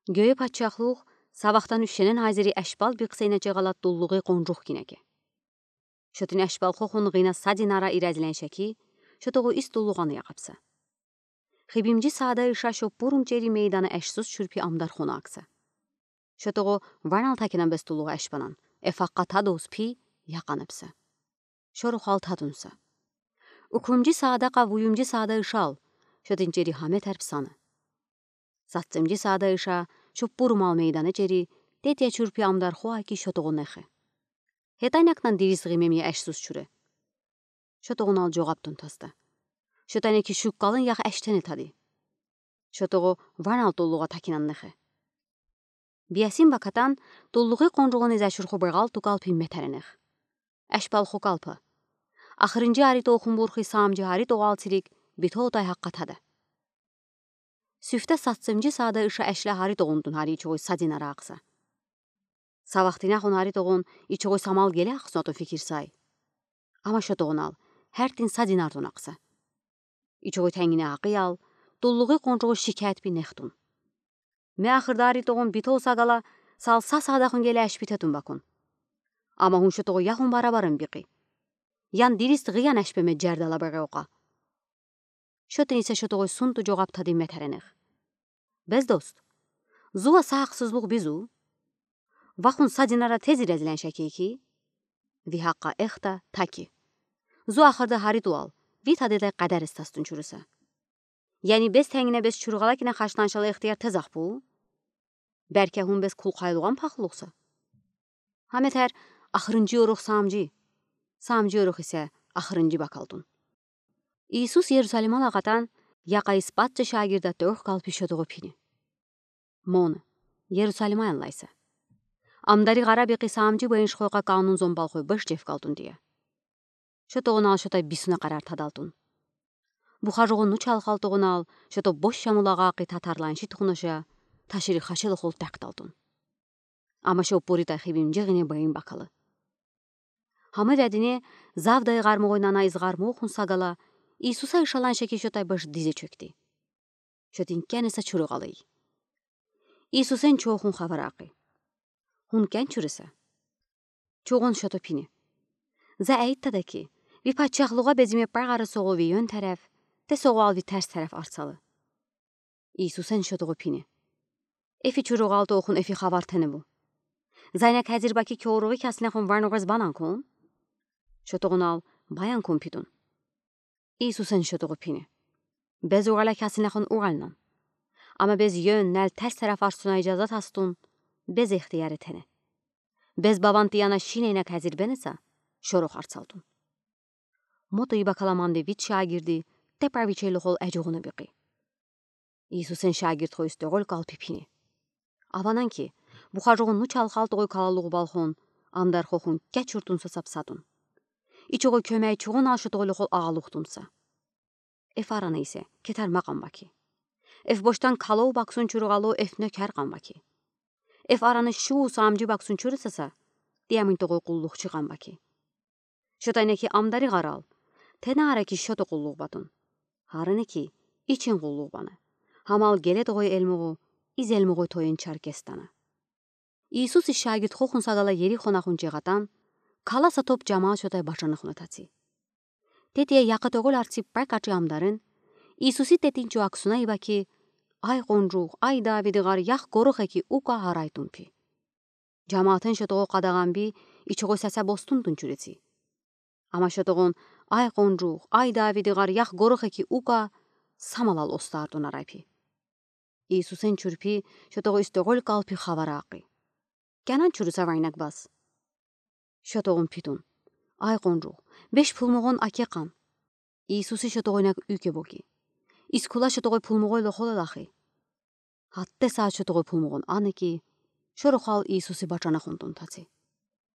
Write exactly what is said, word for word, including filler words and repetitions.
Гёй патчахлух са вахтан ушенен азери эшбал биксейна чегала туллугъи къонжух кинеке. Шотин эшбалхохун гина са динара ирезлен шеки, шотогъу ис туллугъан яхапса. Хибимжи саада иша шо бурум чери мейдана эшсуз чурпи амдархона акса. Шотогъу ванал такинан бес туллугъа эшбанан, эф акъа тадус пи яханапса. Шорухал тадунса. Укумжи саада къа вуюмжи саада ишал, шотин чери хаме терпсана. Сатцымжи саада иша шо бурумал мейдана чери, тетя чурпи амдархо аки шотогъу нехе. Хетайнакнан дирис гимемия эшсуз чуре. Шотогъунал жогъаптун таста. Шотайнаки шуккалын яха эштене тади. Шотогъу ванал туллугъа такинан нехе. Биясин бакатан туллугъи къонжугъуни зашурху бегъал тугалпи метеренех. Эшбалху калпа. Ахырынжи ари тохун бурхи самжи ари тогъал цирик битотай хакъатада. Сюфте сатцымжи саада иша эшла ари тогъунтун ари ичогъуй са динара акса. Са вахтина хун ари тогъун ичогъуй самал геле аксунату фикир сай. Ама шотогъунал, хертин са динартун акса. Ичогъуй тенгине акъиял, туллугъи къонжугъу шикет би нехтун. Ме ахырда ари тогъун битол сагала, сал са саада хун геле эшбитетун бакун. Ама хун шотогъу яхун барабарын бикъи. Ян дирис гиян эшбеме жердала бегъе окъа. Шотин исе шотогъуй сунту жогъап тади метеренех. Бес дост. Зува са аксызлугъ бизу. Вахун са динара тез ирезлен шеки ки. Ви хакъа эхта таки. Зу ахырда хари туал. Ви тадедай къадар истастун чуруса. Яни бес тенгине бес чуругъала кина хашланшала ихтияр тез ахпу. Берке хун бес кулхайлугъан пахлугъса. Хаметер ахырынжи орух самжи. Самжи орух исе ахырынжи бакалтун. Иисус Иерусалимал акъатан, яка испатча шагирда тёх калпи шотогъу пини. Мон, Иерусалимаян лайса. Амдари гъара бикъи самжи бейнш хойка канун зомбал хой беш жеф калтун дия. Шотогъунал шотай бисуна къарар тадалтун. Бухажугъу нуч ал халтогъунал, шото бош шамулагъа къи татарланши тухунаша, ташири хашел хол такталтун. Ама шо пурита хибимжи гине бейн бакалы. Хама вядине завдай гъармугъуй нана из гъармугъун сагала, Иисуса ишалан шеки шотай беш дизе чёкти. Шотин кенеса чуругъалый. Иисусен чохун хаваракъи. Хун кен чуруса. Чогъун шото пини. За эйт тада ки, ви патчахлугъа безиме пагъары соғу ви ён тареф, те соғуал ви терс тареф арсалы. Иисусен шотогъу пини. Эфи чуругъал тохун эфи хавар тенебу. Зайна кезир баки кёругъи кясна хун варнугъыз банан кун. Шотогъунал баян кун питун. Иисусен шотогъу пини. Без угъала кясна хун угъалнан. Ама без ён нал терс тареф арсуна ижазат астун, без ихтияр этене. Без баван тияна шинейна кезир бенеса, шорух арсалтун. Мото иба каламанди вит шагирди, те правичей лохол эжугъуна бикъи. Иисусен шагирд хойс тёгъол калпи пини. Аванан ки, бухажугъун нуч ал халтогъуй калалугъу балхон, амдар хохун кечуртунса сапсатун. Ичогъу кёмей чугъун ал шотогъу лохол ағалухтунса. Эф арана исе, кетер мақам баки. Эф боштан калоу баксун чуругъалу эф нёкер къам баки. Эф арана шу самжи баксун чурусаса, диямин тогъуй къуллух чиқан баки. Шотайна ки амдари гъарал, тена ара ки шото къуллух батун. Харана ки, ичин къуллух бана. Хамал геле тогъуй элмугъу, из элмугъуй тойын чаркестана. Иисус ишагирд хохун сагала Ерихона хун чегъатан, каласа топ жамал шотай башана хуна таци. Тетия яка тёгъол арци пай качи амдарын, Иисуси тетин чуаксуна иба ки, ай къонжух, ай Давиди гъар ях горох эки ука харайтун пи. Жамаатын шотогъу къадагъан би, ичогъу саса бостунтун чуреци. Ама шотогъун, ай къонжух, ай Давиди гъар ях горох эки ука, самалал остартун арай пи. Иисусен чурпи, шотогъу истогъол калпи хаваракъи. Кянан чуруса вайнак бас. Шотогъун питун. Ай къонжух, беш пулмугъун аке къан. Иисуси шотогъуйнак уьке боги. Искула шотогъуй пулмугъуй лохола лахи. Хатте саат шотогъуй пулмугъун ана ки, шорухал Иисуси бачана хунтун таци.